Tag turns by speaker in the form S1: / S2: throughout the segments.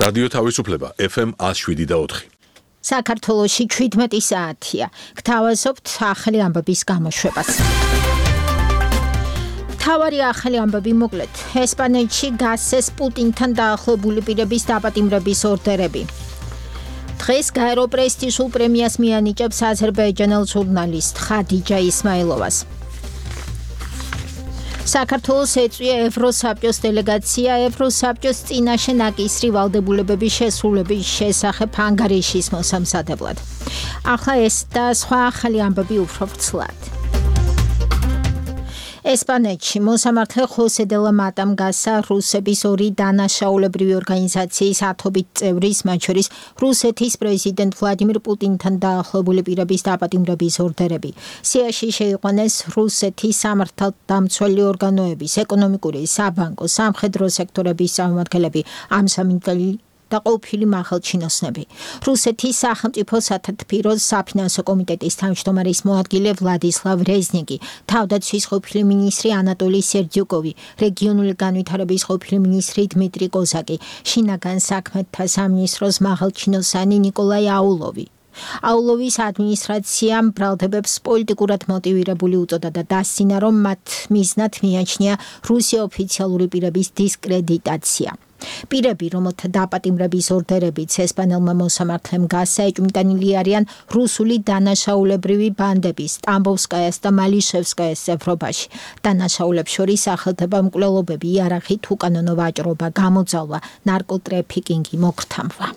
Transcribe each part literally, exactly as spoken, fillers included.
S1: რადიო თავისუფლება F M one oh seven და ოთხი.
S2: საქართველოში შვიდმეტი საათია. გთავაზობთ ახალი ამბების გამოშვებას. თავარი ახალი ამბები მოკლედ. ესპანეთში გასცეს პუტინთან დაახლოებული პირების დაპატიმრების ორდერები. დღეს გაერო პრესტიჟულ პრემიას მიანიჭებს აზერბაიჯანელ ჟურნალისტ ხადიჯა ისმაილოვას. საქართველოს ეწვია ევროსაბჭოს დელეგაცია ევროსაბჭოს წინაშე ნაკისრი ვალდებულებების შესრულების შესახებ ანგარიშის მოსამზადებლად. ახლა ეს და სხვა ახალი ამბები უფრო ვრცლად. ესპანეთში მოსამართლე ხოსე დე ლა მატამ გასცა რუსების ორი დანაშაულებრივი ორგანიზაციის ათობით წევრის, მათ შორის რუსეთის პრეზიდენტ ვლადიმირ პუტინთან დაახლოებული პირების დაპატიმრების ორდერები. სიაში შეიყვანეს რუსეთის სამართალდამცველი ორგანოების, ეკონომიკური, საბანკო, სამხედრო სექტორების წარმომადგენლები, ამსამინდელი და ყოფილი მაღალჩინოსნები. რუსეთის სახელმწიფო სათათბირო საფინანსო კომიტეტის თავმჯდომარის მოადგილე ვლადისლავ რეზნიკი, თავდაცვის ყოფილი მინისტრი ანატოლი სერდიუკოვი, რეგიონული განვითარების ყოფილი მინისტრი დმიტრი კოზაკი, შინაგან საქმეთა სამინისტროს მაღალჩინოსანი ნიკოლაი აულოვი. აულოვის ადმინისტრაციამ ბრალდებებს პოლიტიკურად მოტივირებული უწოდა და დასცინა, რომ მათ მიზნად მიაჩნია რუსი ოფიციალური პირების დისკრედიტაცია. პირები, რომელთა დაპატიმრების ორდერებიც ესპანელმა მოსამართლემ გასცა, ეჭვმიტანილი არიან რუსული დანაშაულებრივი ბანდების, ტამბოვსკაიას და მალიშევსკაიას წევრობაში. დანაშაულებს შორის სახელდება მკვლელობები, იარაღით უკანონო ვაჭრობა, გამოძალვა, ნარკოტრეფიკინგი, მოქრთამვა.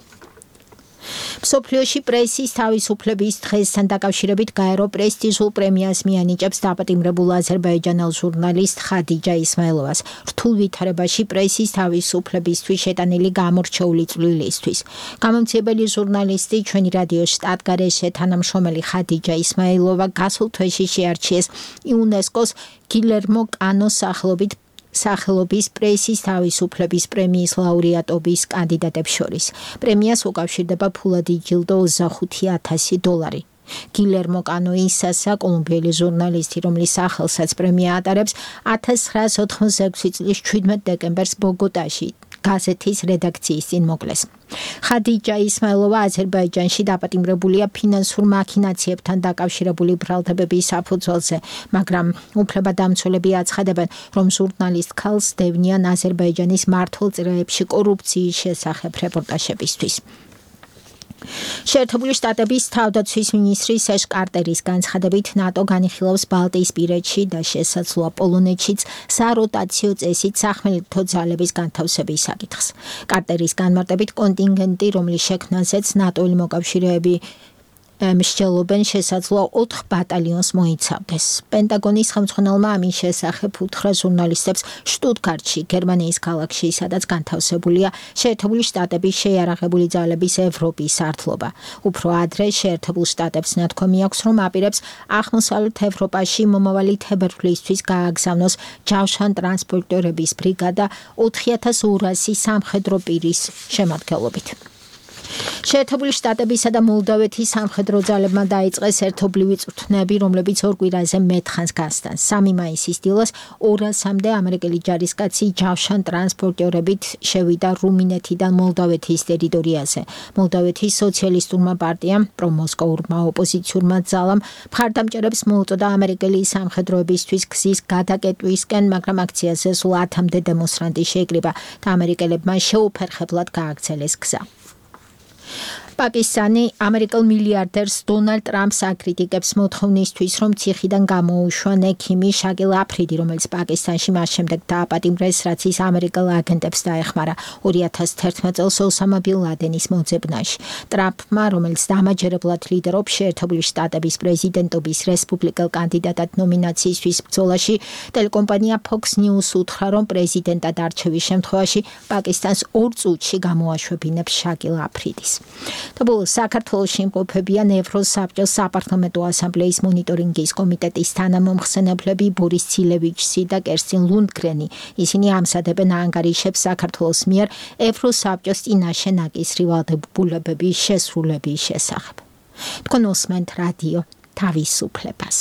S2: მსოფლიოში პრესის თავისუფლების დღესთან დაკავშირებით გაერო პრესტიჟულ პრემიას მიანიჭებს დაპატიმრებულ აზერბაიჯანელ ჟურნალისტ ხადიჯა ისმაილოვას რთულ ვითარებაში პრესის თავისუფლებისთვის შეტანილი გამორჩეული წვლილისთვის. გამომცემელი ჟურნალისტი ჩვენი რადიო შტატგარეშე თანამშრომელი ხადიჯა ისმაილოვა გასულ თვეში შეარჩიეს იუნესკოს გილერმო კანოს სახელობით სახელობის პრესის თავისუფლების პრემიის ლაურეატობის კანდიდატებს შორის. პრემიას უკავშირდება ფულადი ჯილდო ოცდახუთი ათასი დოლარი. გილერმო კანო ისასა კოლუმბიელი ჟურნალისტი, რომლის სახელსაც პრემია ატარებს, ათას ცხრაას ოთხმოცდაექვსი წლის შვიდმეტ დეკემბერს ბოგოტაში გაზეთის რედაქციის წინ მოკლეს. ხადიჯა ისმაილოვა აზერბაიჯანში დაპატიმრებულია ფინანსურ მაქინაციებთან დაკავშირებული ბრალდებების საფუძველზე, მაგრამ უფლებადამცველები აცხადებენ, რომ ჟურნალისტ ქალს დევნიან აზერბაიჯანის მართლწრეებში კორუფციის შესახებ რეპორტაჟებისთვის. შეერთებული შტატების თავდაცვის მინისტრი სეშ კარტერის განცხადებით, ნატო განიხილავს ბალტიისპირეთში და შესაძლოა პოლონეთშიც საროტაციო წესით სახმელეთო ძალების განთავსების საკითხს. კარტერის განმარტებით, კონტინგენტი, რომლის შექმნაზეც ნატოელი მოკავშირეები მსჯელობენ, შესაძლოა ოთხ ბატალიონს მოიცავდეს. პენტაგონის ხელმძღვანელმა ამის შესახებ უთხრა ჟურნალისტებს შტუტგარტში, გერმანიის ქალაქში, სადაც განთავსებულია შეერთებული შტატების შეიარაღებული ძალების ევროპის სარდლობა. უფრო ადრე შეერთებულ შტატებს ნათქვამი აქვს, რომ აპირებს აღმოსავლეთ ევროპაში მომავალი თებერვლისთვის გააგზავნოს ჯავშან ტრანსპორტიორების ბრიგადა ოთხი ათას ორასი სამხედრო პირის შემადგენლობით. შეერთებული შტატებისა და მოლდოვეთის სამხედრო ძალებმა დაიწყეს ერთობლივი წვრთნები, რომლებიც ორ კვირაზე მეტხანს გასტანს. სამი მაისის დილას ორასამდე ამერიკელი ჯარისკაცი ჯავშან ტრანსპორტიორებით შევიდა რუმინეთიდან მოლდოვეთის ტერიტორიაზე. მოლდოვეთის სოციალისტურმა პარტიამ, პრომოსკოურმა ოპოზიციურმა ძალამ მხარდამჭერებს მოუწოდა ამერიკელი სამხედროებისთვის გზის გადაკეტვისკენ, მაგრამ აქციაზე სულ ათამდე დემონსტრანტი შეიკრიბა და ამერიკელებმა შეუფერხებლად გააგრძელეს გზა. პაკისტანი ამერიკელ მილიარდერს დონალდ ტრამპს აკრიტიკებს მოთხოვნისთვის, რომ ციხიდან გამოუშვა ექიმი შაკილ აფრიდი, რომელიც პაკისტანში მას შემდეგ დააპატიმრეს, რაც ის ამერიკელ აგენტებს დაეხმარა ორი ათას თერთმეტ წელს ოსამა ბინ ლადენის მოძებნაში. ტრამპმა, რომელიც დამაჯერებლად ლიდერობს შეერთებული შტატების პრეზიდენტობის რესპუბლიკელ კანდიდატად ნომინაციისთვის ბრძოლაში, ტელეკომპანია Fox News უთხრა, რომ პრეზიდენტად არჩევის შემთხვევაში პაკისტანს ორ წუთში გამოაშვებინებს შაკილ აფრიდის. და ბოლოს საქართველოში იმყოფებიან ევროსაბჭოს საპარლამენტო ასამბლეის მონიტორინგის კომიტეტის თანამომხსენებლები ბორის ცილევიჩი და კერსტინ ლუნდგრენი. ისინი ამსადებენ ანგარიშებს საქართველოს მიერ ევროსაბჭოს წინაშე ნაკისრი ვალდებულებების შესრულების შესახებ. თქვენ უსმენთ რადიო თავისუფლებას.